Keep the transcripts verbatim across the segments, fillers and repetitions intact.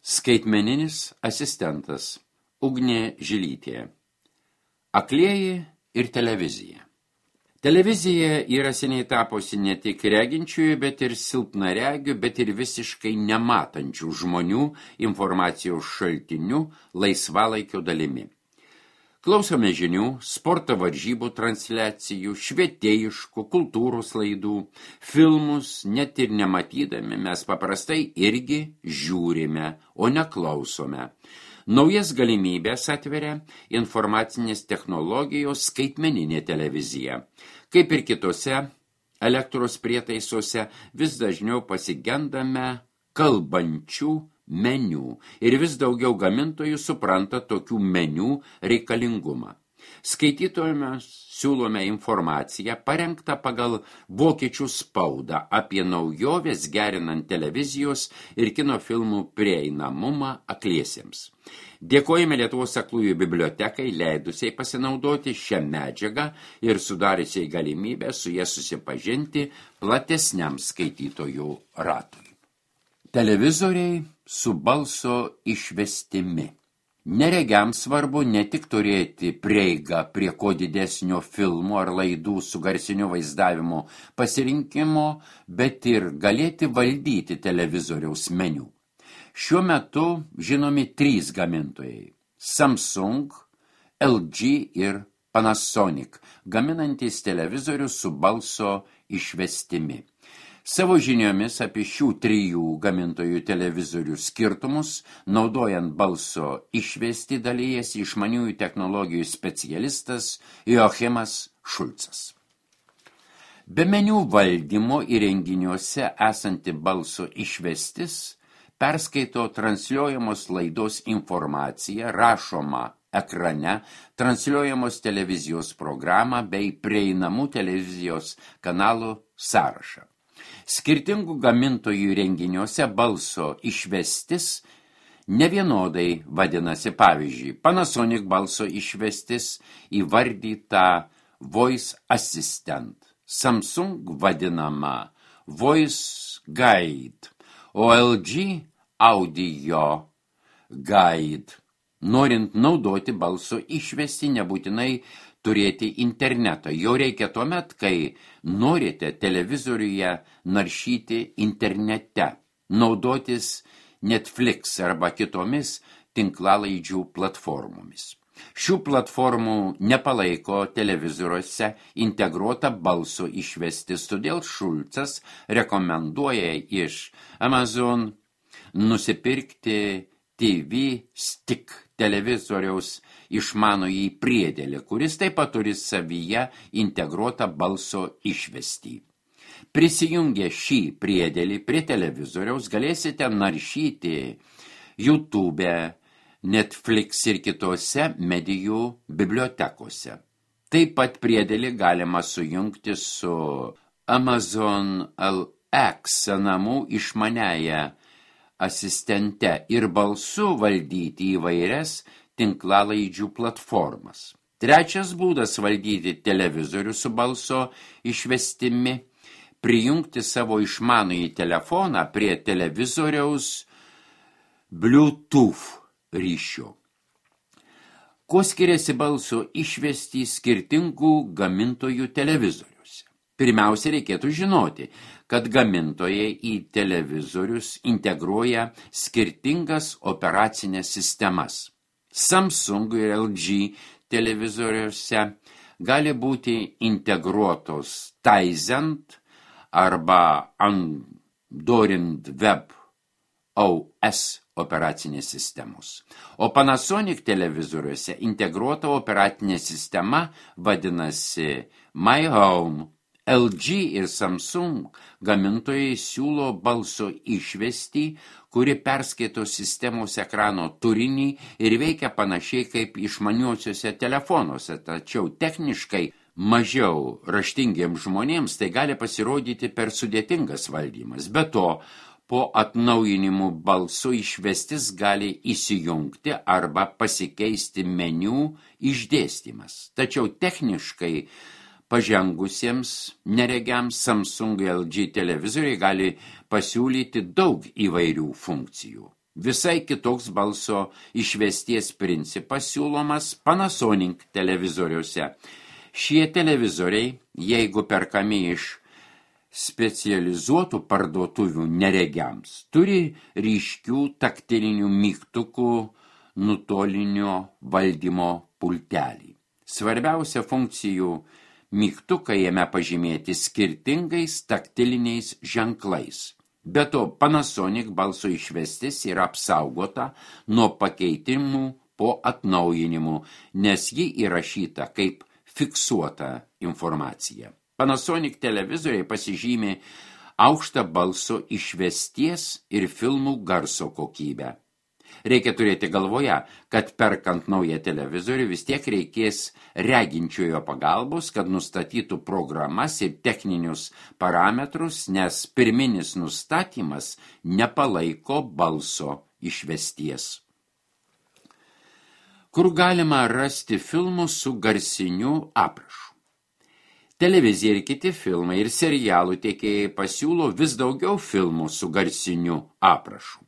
Skaitmeninis asistentas Ugnė Žilytė. Aklieji ir televizija. Televizija yra seniai tapusi ne tik reginčiųjų, bet ir silpnaregių, bet ir visiškai nematančių žmonių informacijos šaltinių laisvalaikio dalimi. Klausome žinių, sporto varžybų transliacijų, švietėjiškų, kultūros laidų, filmus, net ir nematydami mes paprastai irgi žiūrime, o neklausome. Naujas galimybės atveria informacinės technologijos skaitmeninė televizija. Kaip ir kitose elektros prietaisuose, vis dažniau pasigendame kalbančių meniu ir vis daugiau gamintojų supranta tokių meniu reikalingumą. Skaitytojams siūlome informaciją parengtą pagal vokiečių spaudą apie naujoves gerinant televizijos ir kino filmų prieinamumą akliesiems. Dėkojame Lietuvos aklųjų bibliotekai, leidusiai pasinaudoti šią medžiagą ir sudariusiai galimybę su jie susipažinti platesniam skaitytojų ratui. Televizoriai su balso išvestimi. Neregiams svarbu ne tik turėti prieigą prie ko didesnio filmų ar laidų su garsiniu vaizdavimu pasirinkimo, bet ir galėti valdyti televizoriaus meniu. Šiuo metu žinomi trys gamintojai – Samsung, L G ir Panasonic, gaminantys televizorius su balso išvestimi. Savo žiniomis apie šių trijų gamintojų televizorių skirtumus, naudojant balso išvesti, dalyjasi išmaniųjų technologijų specialistas Joachimas Šulcas. Be meniu valdymo įrenginiuose esanti balso išvestis perskaito transliuojamos laidos informaciją, rašomą ekrane, transliuojamos televizijos programą bei prieinamų televizijos kanalų sąrašą. Skirtingų gamintojų renginiuose balso išvestis nevienodai vadinasi. Pavyzdžiui, Panasonic balso išvestis įvardyta Voice Assistant, Samsung vadinama Voice Guide, o L G Audio Guide. Norint naudoti balso išvestį, nebūtinai turėti internetą. Jo reikia tuomet, kai norite televizoriuje naršyti internete, naudotis Netflix arba kitomis tinklalaidžių platformomis. Šių platformų nepalaiko televizoriuose integruota balso išvestis, todėl Šulcas rekomenduoja iš Amazon nusipirkti T V Stick televizoriaus išmanųjį priedėlį, kuris taip pat turi savyje integruotą balso išvestį. Prisijungę šį priedėlį prie televizoriaus galėsite naršyti YouTube, Netflix ir kitose medijų bibliotekose. Taip pat priedėlį galima sujungti su Amazon Alexa namų išmaniąja asistente ir balsu valdyti įvairias tinklalaidžių platformas. Trečias būdas valdyti televizorių su balso išvestimi – prijungti savo išmanųjį telefoną prie televizoriaus Bluetooth ryšio. Kuo skiriasi balso išvestį skirtingų gamintojų televizoriuose? Pirmiausia, reikėtų žinoti, kad gamintojai į televizorius integruoja skirtingas operacinės sistemas. Samsung ir L G televizoriuose gali būti integruotos Tizen arba Android Web O S operacinės sistemos. O Panasonic televizoriuose integruota operacinė sistema vadinasi My Home. L G ir Samsung gamintojai siūlo balso išvestį, kuri perskaito sistemos ekrano turinį ir veikia panašiai kaip išmaniuosiuose telefonuose, tačiau techniškai mažiau raštingiems žmonėms tai gali pasirodyti per sudėtingas valdymas. Be to, po atnaujinimų balso išvestis gali įsijungti arba pasikeisti meniu išdėstymas. Tačiau techniškai pažengusiems neregiams Samsung L G televizoriai gali pasiūlyti daug įvairių funkcijų. Visai kitoks balso išvesties principas siūlomas Panasonic televizoriuose. Šie televizoriai, jeigu perkami iš specializuotų parduotuvių neregiams, turi ryškių taktilinių mygtukų nutolinio valdymo pultelį. Svarbiausia funkcijų mygtukai jame pažymėti skirtingais taktiliniais ženklais. Be to, Panasonic balso išvestis yra apsaugota nuo pakeitimų po atnaujinimų, nes ji įrašyta kaip fiksuota informacija. Panasonic televizoriai pasižymė aukštą balso išvesties ir filmų garso kokybę. Reikia turėti galvoje, kad perkant naują televizorių vis tiek reikės reginčiojo pagalbos, kad nustatytų programas ir techninius parametrus, nes pirminis nustatymas nepalaiko balso išvesties. Kur galima rasti filmų su garsiniu aprašu? Televizija ir kiti filmai ir serialų tiekėjai pasiūlo vis daugiau filmų su garsiniu aprašu.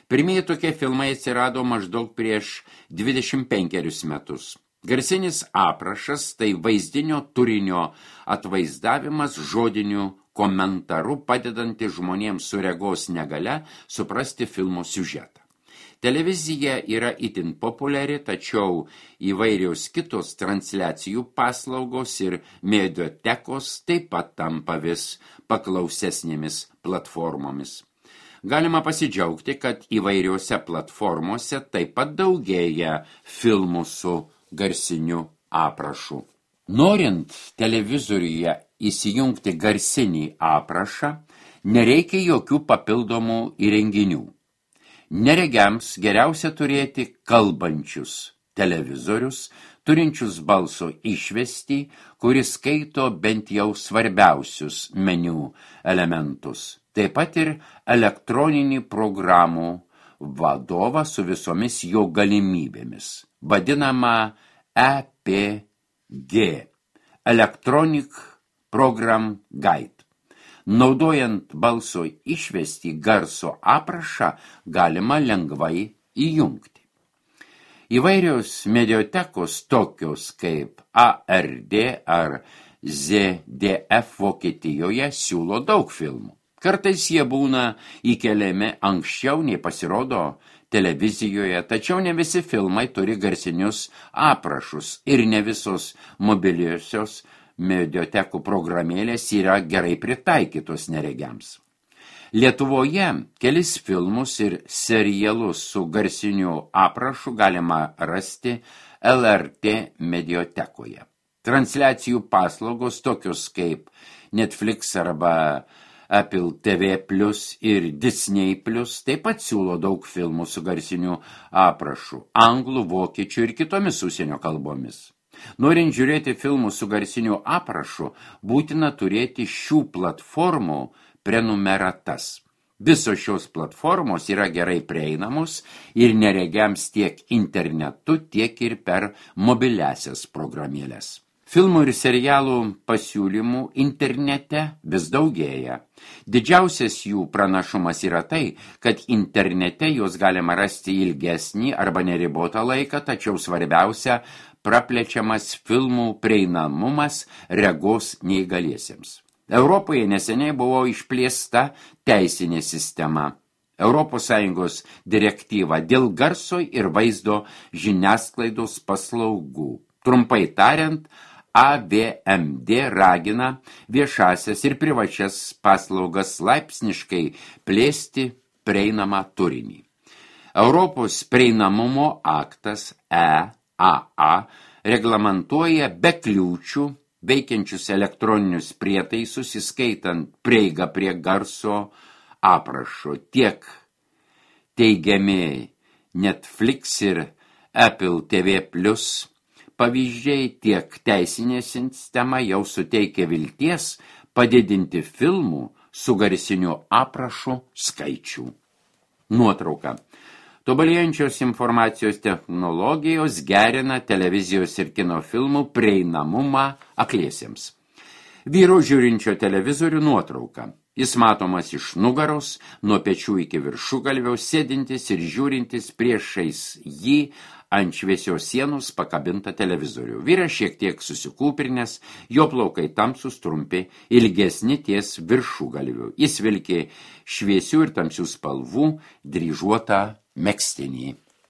Pirmieji tokie filmai atsirado maždaug prieš dvidešimt penkerius metus. Garsinis aprašas tai vaizdinio turinio atvaizdavimas žodiniu komentaru, padedanti žmonėms su regos negalia suprasti filmo siužetą. Televizija yra itin populiari, tačiau įvairios kitos transliacijų paslaugos ir mediotekos taip pat tampa vis paklausesnėmis platformomis. Galima pasidžiaugti, kad įvairiose platformose taip pat daugėja filmų su garsiniu aprašu. Norint televizoriuje įsijungti garsinį aprašą, nereikia jokių papildomų įrenginių. Neregiams geriausia turėti kalbančius televizorius, turinčius balso išvestį, kuris skaito bent jau svarbiausius meniu elementus. Taip pat ir elektroninį programų vadovą su visomis jo galimybėmis, vadinama E P G – Electronic Program Guide. Naudojant balso išvestį garso aprašą galima lengvai įjungti. Įvairios mediotekos tokios kaip A R D ar Z D F Vokietijoje siūlo daug filmų. Kartais jie būna įkeliami anksčiau nei pasirodo televizijoje, tačiau ne visi filmai turi garsinius aprašus ir ne visos mobiliosios mediotekų programėlės yra gerai pritaikytos neregiams. Lietuvoje kelis filmus ir serialus su garsiniu aprašu galima rasti L R T mediotekoje. Transliacijų paslaugos tokios kaip Netflix arba Apple T V plus ir Disney plus taip pat siūlo daug filmų su garsiniu aprašu, anglų, vokiečių ir kitomis užsienio kalbomis. Norint žiūrėti filmų su garsiniu aprašu, būtina turėti šių platformų prenumeratas. Visos šios platformos yra gerai prieinamos ir neregiams tiek internetu, tiek ir per mobiliasias programėlės. Filmų ir serialų pasiūlymų internete vis daugėja. Didžiausias jų pranašumas yra tai, kad internete juos galima rasti ilgesnį arba neribotą laiką, tačiau svarbiausia – praplečiamas filmų prieinamumas regos neįgaliesiems. Europoje neseniai buvo išplėsta teisinė sistema. Europos Sąjungos direktyva dėl garso ir vaizdo žiniasklaidos paslaugų. Trumpai tariant, A V M D ragina viešasias ir privačias paslaugas laipsniškai plėsti prieinamą turinį. Europos prieinamumo aktas E A A reglamentuoja be kliūčių veikiančius elektroninius prietaisus, įskaitant prieigą prie garso aprašo. Tiek teigiami Netflix ir Apple T V plus pavyzdžiai, tiek teisinė sistema jau suteikia vilties padidinti filmų su garsiniu aprašu skaičių. Nuotrauka. Tobulėjančios informacijos technologijos gerina televizijos ir kino filmų prieinamumą akliesiems. Vyro žiūrinčio televizorių nuotrauka. Jis matomas iš nugaros, nuo pečių iki viršugalvio, sėdintis ir žiūrintis priešais jį ant šviesios sienos pakabintą televizorių. Vyras šiek tiek susikūprinęs, jo plaukai tamsus trumpi, ilgesni ties viršugalviu. Jis vilkė šviesių ir tamsių spalvų dryžuotą megztinį.